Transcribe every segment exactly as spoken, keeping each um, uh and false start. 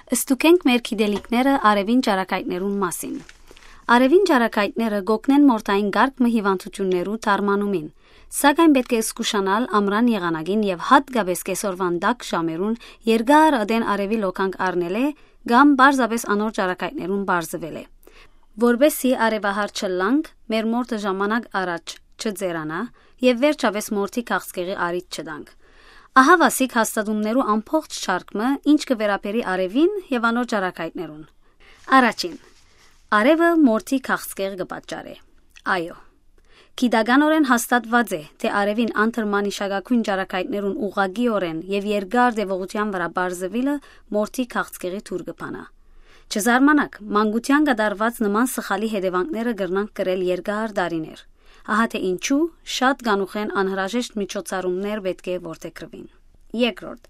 Ստուգենք մեր գիտելիքները արեւին ճառագայթներուն մասին։ Արեւին ճառագայթները կօգնեն մորթային կարգ մը հիվանդութիւններու դարմանումին, սակայն պէտք է զգուշանալ ամրան եղանակին եւ յատկապէս կեսօրուան տաք ժամերուն երկար ատեն արեւի լոկանք առնելէ կամ պարզապէս անոր ճառագայթներուն պարզուելէ, որպէսզի արեւահար չըլլանք, մեր մորթը ժամանակ առաջ չծերանայ եւ վերջապէս մորթի քաղցկեղի առիթ չտանք։ Ահա վասիկ հաստատումներու ամբողջ շարք մը, ինչ կը վերաբերի արեւին եւ անոր ճառագայթներուն։ Առաջին, արեւը մորթի քաղցկեղ կը պատճառէ։ Այո, գիտականօրէն հաստատուած է, թէ արեւին անդր մանիշակագոյն ճառագայթներուն ուղղակիօրէն եւ երկար տեւողութեան վրայ պարզուիլը մորթի քաղցկեղի դուռ կը բանայ։ Չզարմանաք, մանկութեան կատարուած նման սխալի հետեւանքները կրնանք կրել երկար տարիներ։ Ահա թէ ինչու շատ կանուխէն անհրաժեշտ միջոցառումներ պէտք է որդեգրուին։ Երկրորդ,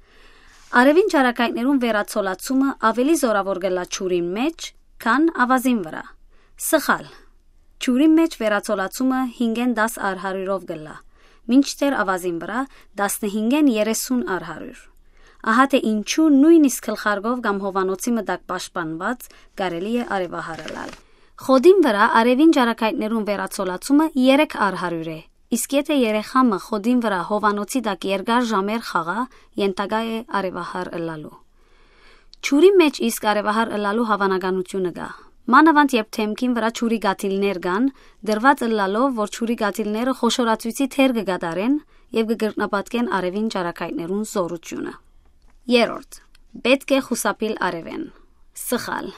արեւին ճառագայթներուն վերացոլացումը աւելի զօրաւոր կ'ըլլայ ջուրին մէջ, քան աւազին վրայ։ Սխալ։ Ջուրին մէջ վերացոլացումը հինգէն տաս առ հարիւրով կ'ըլլայ, մինչդեռ աւազին վրայ տասնհինգէն երեսուն առ հարիւր։ Ահա թէ ինչու նոյնիսկ գլխարկով կամ հովանոցի մը տակ պաշտպանուած կարելի է արեւահար ըլլալ։ Խոտին վրայ արեւին ճառագայթներուն վերացոլացումը երեք առ հարիւր է, իսկ եթէ երեխայ մը խոտին վրայ հովանոցի տակ երկար ժամեր խաղայ, ենթակայ է արեւահար ըլլալու։ Ջուրի մէջ իսկ արեւահար ըլլալու հաւանականութիւնը կայ։ Մանաւանդ երբ դէմքին վրայ ջուրի կաթիլներ կան, դրուած ըլլալով, որ ջուրի կաթիլները խոշորացոյցի դեր կը կատարեն եւ կը կրկնապատկեն արեւին ճառագայթներուն զօրութիւնը։ Երրորդ, պէտք է խուսափիլ արեւէն։ Սխալ։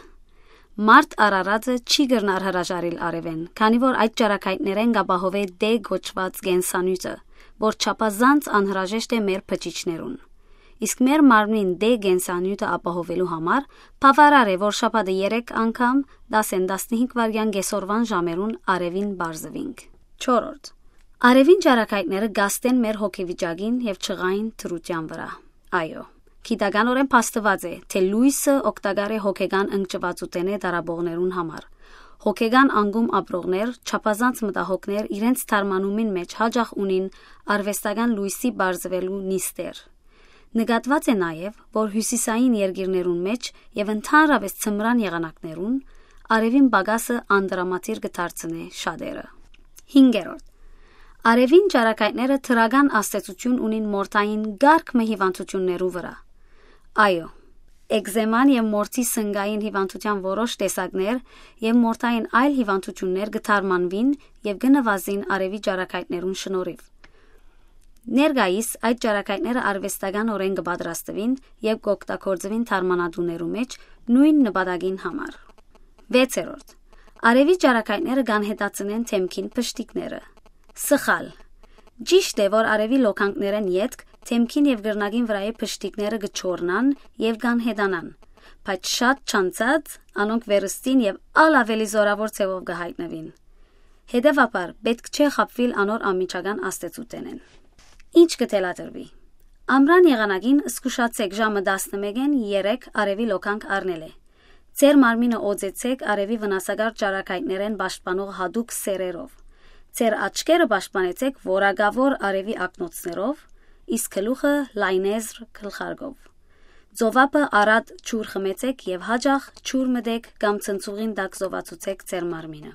Մարդ արարածը չի կրնար հրաժարիլ արեւէն, քանի որ այդ ճառագայթներէն կ'ապահովէ դէ կոչուած կենսանիւթը, որ չափազանց անհրաժեշտ է մեր բջիջներուն։ Իսկ մեր մարմնին դէ կենսանիւթը ապահովելու համար բաւարար է, որ շաբաթը երեք անգամ, տասէն տասնհինգ վայրկեան կեսօրուան ժամերուն արեւին պարզուինք։ Չորրորդ, արեւին ճառագայթները կ'ազդեն մեր հոգեվիճակին եւ ջղային դրութեան վրայ։ Այո, գիտականօրէն փաստուած է, թէ լոյսը օգտակար է հոգեկան ընկճուածութենէ տառապողներուն համար։ Հոգեկան անկում ապրողներ, չափազանց մտահոգներ իրենց դարմանումին մէջ յաճախ ունին արուեստական լոյսի պարզուելու նիստեր։ Նկատուած է նաեւ, որ հիւսիսային երկիրներուն մէջ եւ ընդհանրապէս ձմրան եղանակներուն արեւին պակասը անդրամատիր կը դարձնէ շատերը։ Հինգերորդ, արեւին ճառագայթները դրական ազդեցութիւն ունին մորթային կարգ մը հիվանդութիւններու վրայ։ Այո, էկզեման եւ մորթի սնկային հիվանդութեան որոշ տեսակներ եւ մորթային այլ հիվանդութիւններ կը դարմանուին եւ կը նուազին արեւի ճառագայթներուն շնորհիվ։ Ներկայիս այդ ճառագայթները արուեստականօրէն կը պատրաստուին եւ կ'օգտագործուին դարմանատուներու մէջ նոյն նպատակին համար։ Վեցերորդ, արեւի ճառագայթները կ'անհետացնեն դէմքին պշտիկները։ Սխալ։ Ճիշդ է, որ արեւի լոկանքներէն ետք դէմքին եւ կրնակին վրայի պշտիկները կը չորնան եւ կ'անհետանան, բայց շատ չանցած անոնք վերստին եւ ալ աւելի զօրաւոր ձեւով կը յայտնուին։ Հետեւաբար, պէտք չէ խաբուիլ անոր անմիջական ազդեցութենէն։ Ինչ կը թելադրուի։ Ամրան եղանակին զգուշացէք ժամը տասնմէկէն երեք արեւի լոկանք առնելէ։ Ձեր մարմինը օծեցէք արեւի վնասակար ճառագայթներէն պաշտպանող յատուկ սերերով։ Ձեր աչքերը պաշտպանեցէք որակաւոր արեւի ակնոցներով, իսկ գլուխը լայնեզր գլխարկով։ Ծովափը առատ ջուր խմեցէք եւ յաճախ ջուր մտէք կամ ցնցուղին տակ զովացուցէք ձեր մարմինը։